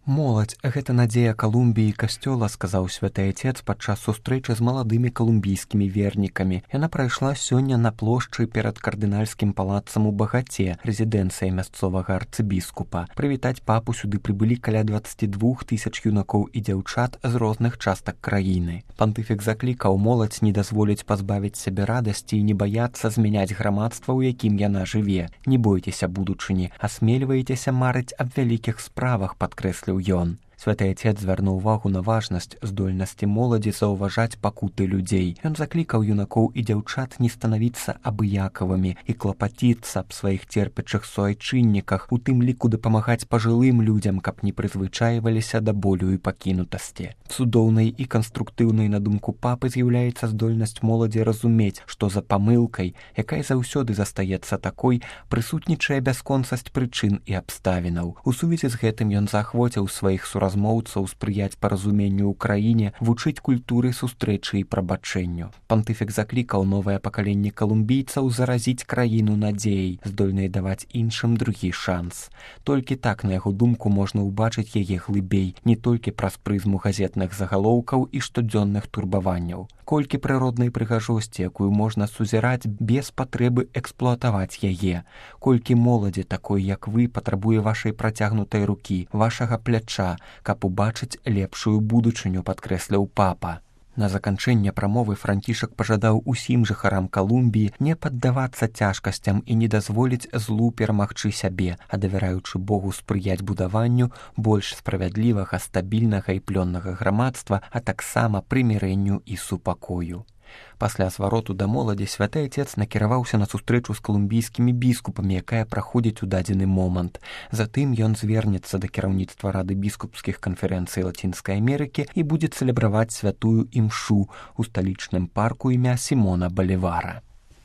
Моладзь — гэта надзея Калумбіі і касцёла, сказаў святы айцец падчас сустрэчы з маладымі калумбійскімі вернікамі. Яна прайшла сёння на плошчы перад кардынальскім палацам у Багаце, рэзідэнцыяй мясцовага арцыбіскупа. Прывітаць папу сюды прыбылі каля 22 000 юнакоў і дзяўчат з розных частак краіны. Пантыфік заклікаў моладзь не дазволіць пазбавіць сябе радасці і не баяцца змяняць грамадства, у якім яна жыве. Не бойцеся будучыні, асмельвайцеся марыць аб вялікіх справах, падкрэсліў ён. Святы айцец звярнуў увагу на важнасць здольнасці моладзі заўважаць пакуты людзей. Ён заклікаў юнакоў і дзяўчат не станавіцца абыякавымі і клапаціцца аб сваіх церпячых суайчынніках, у тым ліку дапамагаць пажылым людзям, каб не прызвычайваліся да болю і пакінутасці. Цудоўнай і канструктыўнай, на думку папы, з'яўляецца здольнасць моладзі разумець, што за памылкай, якая заўсёды застаецца такой, прысутнічае бясконцасць прычын і абставінаў. У сувязі з гэтым ён заахвоціў сваіх размоўцаў спрыяць паразуменню ў краіне, вучыць культуры сустрэчы і прабачэнню. Пантыфік заклікаў новае пакаленне калумбійцаў заразіць краіну надзеяй, здольнай даваць іншым другі шанс. Толькі так, на яго думку, можна ўбачыць яе глыбей, не толькі праз прызму газетных загалоўкаў і штодзённых турбаванняў. Колькі прыроднай прыгажосці, якую можна сузіраць без патрэбы эксплуатаваць яе. Колькі моладзі такой, як вы, патрабуе вашай працягнутай рукі, вашага пляча, каб убачыць лепшую будучыню, падкрэсліў папа. На заканчэнне прамовы Францішак пажадаў усім жыхарам Калумбіі не паддавацца цяжкасцям і не дазволіць злу перамагчы сябе, а давяраючы Богу спрыяць будаванню больш справядлівага, стабільнага і плённага грамадства, а таксама прымірэнню і супакою. Пасля звароту да моладзі святы айцец накіраваўся на сустрэчу з калумбійскімі біскупамі, якая праходзіць у дадзены момант. Затым ён звернецца да кіраўніцтва Рады біскупскіх канферэнцый Лацінскай Амерыкі і будзе цэлебраваць святую імшу ў сталічным парку імя Сімона Балівара.